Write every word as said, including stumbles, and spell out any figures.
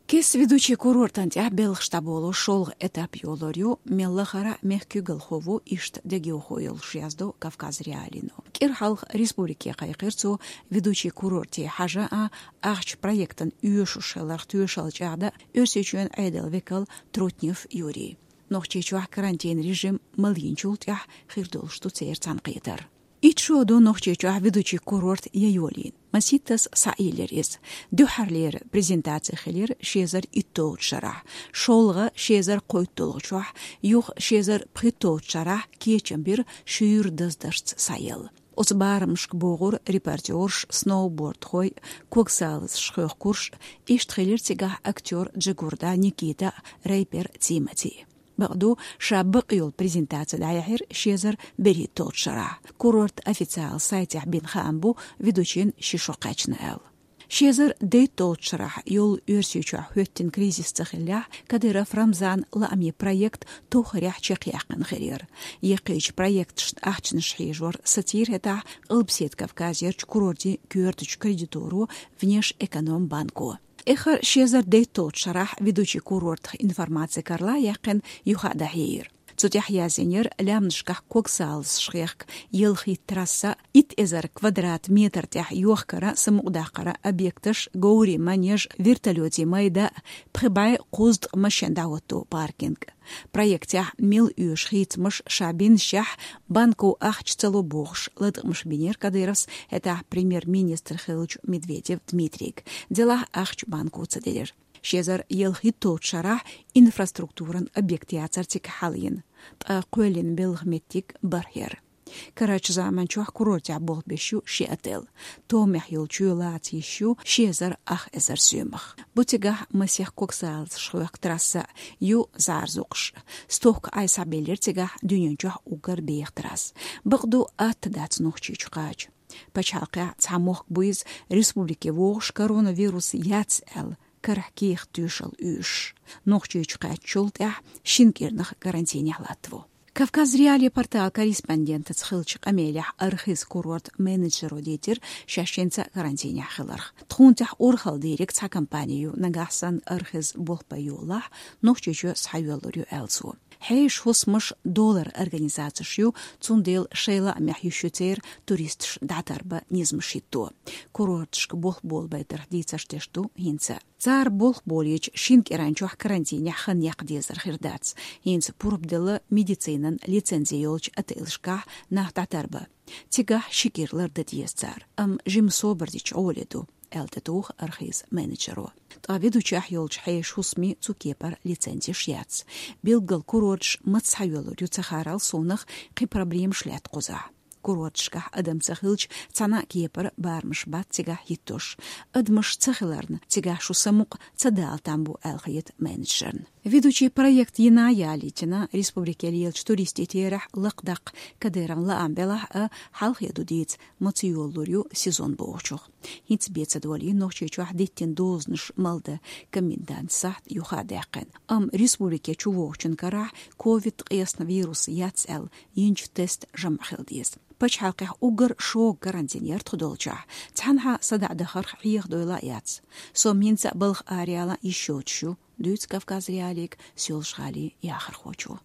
Кеста Ведучи курортан тӀехь белхаш дӀаболо шолгӀа этап йолор ю, мел лахара мехкуьйгалхо ву, иштта дегайовхо йолуш, яздо Кавказ.Реалиино. КӀира хьалха республике кхайкхира цо Ведучи курорте хьажа а, ахча проектан оьшуш хиларх тоьшалла чӀагӀда Оьрсийчоьнан Ӏедалан векал Трутнев Юрий. Нохчийчохь карантин режим малйинчул тӀаьхьа хир долуш ду церан цхьаьнакхетар. Итт шо ду Нохчийчохь Ведучи курорт яйолийна. Масийттаза схьаелира иза. Дуьххьарлера презентаци хилира ши эзар иттолгӀачу шарахь, шолгӀа ши эзар кхойтталгӀачохь, юха ши эзар пхийтталгӀачу шарахь кечам бира шуьйра даздаршца схьаелла. Оцу барамашка богӀура репортёрш, сноубордхой, когсалазаш хохкурш, иштта хилира цигахь актёр Джигурда Никита а, рэпер Тимати. Бакъду, ша бакъ йолу презентаци дӀаяьхьира ши эзар берхӀитталгӀачу шарахь. Курорт официалан сайтехь бина хаам бу Ведучин ши шо кхаьчна аьлла. Ши эзар дейтталгӀачу шарахь йолу Оьрсийчохь хӀоьттина кризис ца хиллехь, Кадыров Рамзанан лаамийн проект тохарехь чекхъяьккхина хир яра. Яккхийчу проекташна ахчанаш хьежор сацийра хӀетахь Къилбаседа Кавказерчу курортийн коьртачу кредиторо, Внешэкономбанко. Эххар ши эзар дейтталгӀачу шарахь Ведучи курортах информаци карла а яьккхина, юха а дӀахьеира. Цу тӀехь язйинера лаьмнашкахь когсалазаш хехка ялхитта трасса, итт эзар квадрат метр тӀехь йохкара, самукъадаккхара объекташ, говрийн манеж, вертолётийн майда, пхи бӀе кхузткъа машен дӀахӀотто паркинг. Проектехь мел оьшу хийцамаш ша бинашехь, банко ахча ца ло бохуш, латкъамаш бинера Кадыровс хӀетахь премьер-министр хиллачу Медведев Дмитрийга. Делахь ахча банко ца делира. Ши эзар ялхитталгӀачу шарахь инфраструктуран объект яцара цига хьалйина, ткъа кхоьллина белхан меттиг бархӀ яра. Карарчу заманчохь курортехь болх беш ю ши отель. Томехь йолу чоь лаца йиш ю ши эзар ах эзар соьмах. Бу цигахь масех когсалазаш хехка трасса а, ю зӀарзукхаш. Стохка Ӏай схьабелира цигахь дуьнен чохь уггар беха трасса. Бакъду, атта дац Нохчийчу кхача. Пачхьалкхехь цхьа мохк бу иза, республике вогӀуш коронавирус яц аьлла, карахь кехат тоьшалла оьшуш. Нохчийчу кхаьчначул тӀаьхьа шина кӀирнах карантинехь латтаво. Кавказ.Реалии порталан корреспондентаца хиллачу къамелехь Архыз курортан менеджеро дийцира шаьш хӀинца карантинехь хиларх. Тхуна тӀехь урхалла дийриг цхьа компани ю, нагахь санна Архыз болх бан йолахь, Нохчийчоь схьайоьллур ю, аьлла цо. Хьешан хӀусамаш доларан организацеш ю, цундела шайн лаамехь йиш ю церан туристаш дӀатарбан низамаш хӀитто. Курорташка болх болабайтарх дийцарш деш ду хӀинца. Цара болх болийча, шина кӀиран чохь карантинехь хан яккха дезар хир дац. ХӀинца пурба делла медицинан лицензи йолчу отелашкахь нах дӀатарбан. Цигахь ши кӀира лардан деза цара, амма жимма собар дича гӀоле ду, аьлла тӀетуху Архыз менеджеро. Ткъа Ведучехь йолчу хьешан хӀусамийн цу кепара лицензеш яц. Билггал курорташ маца схьайоьллур ю ца хаарал совнаха, кхин проблемаш лаьтта кхузахь. Курорташкахь адам ца хилча, цхьана а кепара барамаш бац цигахь хӀиттош. Адамаш ца хиларна, цигахь шу самукъа ца дала там бу, аьлла хета менеджерна. Ведучи проект йина ялийтина, республике лелачу туристийн терахь лакхадаккха Кадыровн лаам белахь а, хьалхе ду дийца, маца йолалур ю сезон бохучух. ХӀинца бен ца долийна Нохчийчохь диттина дозанаш малдан комендантан сахьт юха а даьккхина. Амма республике чувогӀучун карахь ковид ткъаесна вирус яц аьлла йинчу тестан жамӀ хила деза. Пачхьалкхехь уггар шога карантин яра тхо долчохь. Цхьанхьа садаӀа дахарх хьеха дойла а яц. Со хӀинца а балха араяла йиш йоцуш ю, дуьйцу Кавказ.Реалиига Соьлжа-ГӀалин яхархочо.